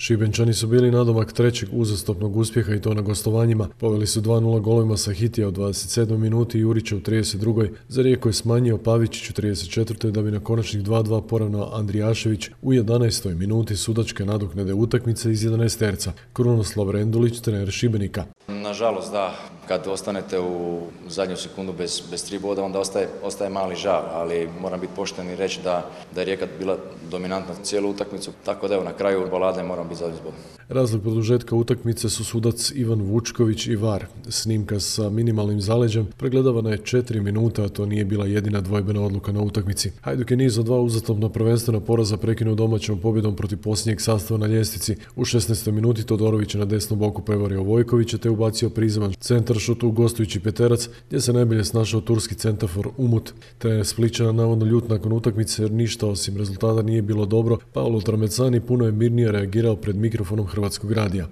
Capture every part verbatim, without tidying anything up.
Šibenčani su bili nadomak trećeg uzastopnog uspjeha i to na gostovanjima. Poveli su dva nula golovima Sahitija u dvadeset sedmoj minuti i Jurića u trideset drugoj Za Rijeku je smanjio Pavičić u trideset četvrtoj da bi na konačnih dva dva poravnao Andrijašević u jedanaestoj minuti sudačke nadoknade utakmice iz jedanaesterca. Krunoslav Rendulić, trener Šibenika. Nažalost, da, kad ostanete u zadnju sekundu bez, bez tri boda, onda ostaje, ostaje mali žal, ali moram biti pošten i reći da, da je Rijeka bila dominantna cijelu utakmicu, tako da evo, na kraju balade moram biti zadovoljan. Razlog produžetka utakmice su sudac Ivan Vučković i V A R. Snimka sa minimalnim zaleđem pregledavana je četiri minuta, a to nije bila jedina dvojbena odluka na utakmici. Hajduk je niz od dva uzastopna prvenstvena poraza prekinuo domaćom pobjedom protiv posljednjeg sastava na ljestvici. U šesnaestoj minuti Todorović je na desnom boku prevario Vojkovića te ubacio prizeman centaršut u gostujući Peterac, gdje se najbolje snašao turski centafor Umut. Trener Splićana navodno ljut nakon utakmice jer ništa osim rezultata nije bilo dobro. Paolo Tramecani puno je mirnije reagirao pred mikrofonom Hrvatskog radija.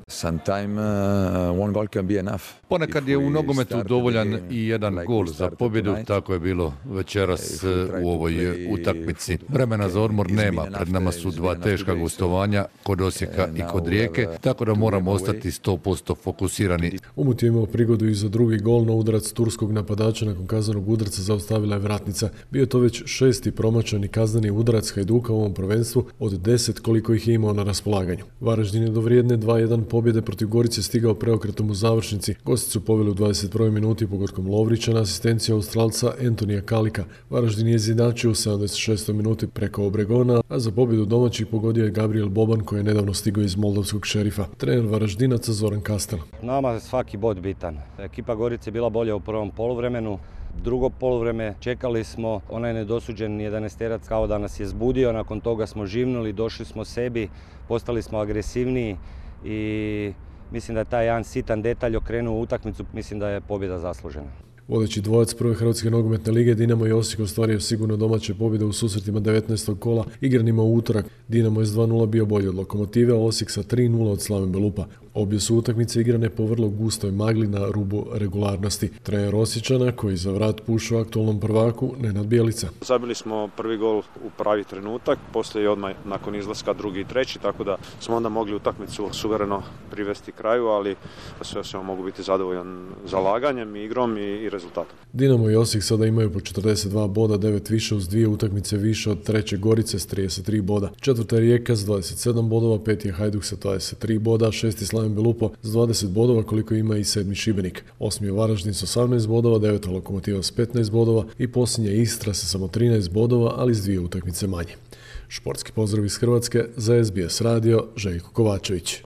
Ponekad je u nogometu dovoljan i jedan gol za pobjedu, tako je bilo večeras u ovoj utakmici. Vremena za odmor nema, pred nama su dva teška gostovanja kod Osijeka i kod Rijeke, tako da moramo ostati sto posto fokusirani. Umut je imao prigodu i za drugi gol, no udarac turskog napadača nakon kaznenog udarca zaustavila je vratnica. Bio je to već šesti promašani kazneni udarac Hajduka u ovom prvenstvu od deset koliko ih je imao na raspolaganju. Varaždin je do vrijedne dva jedan pobjede protiv Gorice stigao preokretom u završnici. Gosti su poveli u dvadeset prvoj minuti pogodkom Lovrića na asistenciju Australca Antonija Kalika. Varaždin je izjednačio u sedamdeset šestoj minuti preko Obregona, a za pobjedu domaćih pogodio je Gabriel Boban koji je nedavno stigao iz moldavskog Šerifa. Trener Varaždinaca Zoran Kastel. Nama svaki bod bitan. Ekipa Gorice je bila bolja u prvom poluvremenu. Drugo poluvreme čekali smo, onaj nedosuđen jedanaesterac kao da nas je zbudio, nakon toga smo živnuli, došli smo sebi, postali smo agresivniji i mislim da je taj jedan sitan detalj okrenuo utakmicu, mislim da je pobjeda zaslužena. Vodeći dvojac prve Hrvatske nogometne lige, Dinamo i Osijek ostvario sigurno domaće pobjede u susretima devetnaestog kola igranima u utorak. Dinamo je s dva nula bio bolji od Lokomotive, a Osijek sa tri nula od Slaven Belupa. Obje su utakmice igrane po vrlo gustoj magli na rubu regularnosti. Trener Osječana, koji za vrat pušao aktualnom prvaku, Nenad Bjelica. Zabili smo prvi gol u pravi trenutak, poslije i odmah nakon izlaska drugi i treći, tako da smo onda mogli utakmicu suvereno privesti kraju, ali sve sve mogu biti zadovoljan zalaganjem, igrom i, i rezultatom. Dinamo i Osijek sada imaju po četrdeset dva boda, devet više uz dvije utakmice više od treće Gorice s trideset tri boda. Četvrta je Rijeka s dvadeset sedam bodova, peti je Hajduk sa dvadeset tri boda, šesti Slaven Belupo s dvadeset bodova koliko ima i sedmi Šibenik. Osmi je Varaždin s osamnaest bodova, deveta Lokomotiva s petnaest bodova i posljednja Istra sa samo trinaest bodova, ali s dvije utakmice manje. Športski pozdrav iz Hrvatske za S B S radio, Željko Kovačević.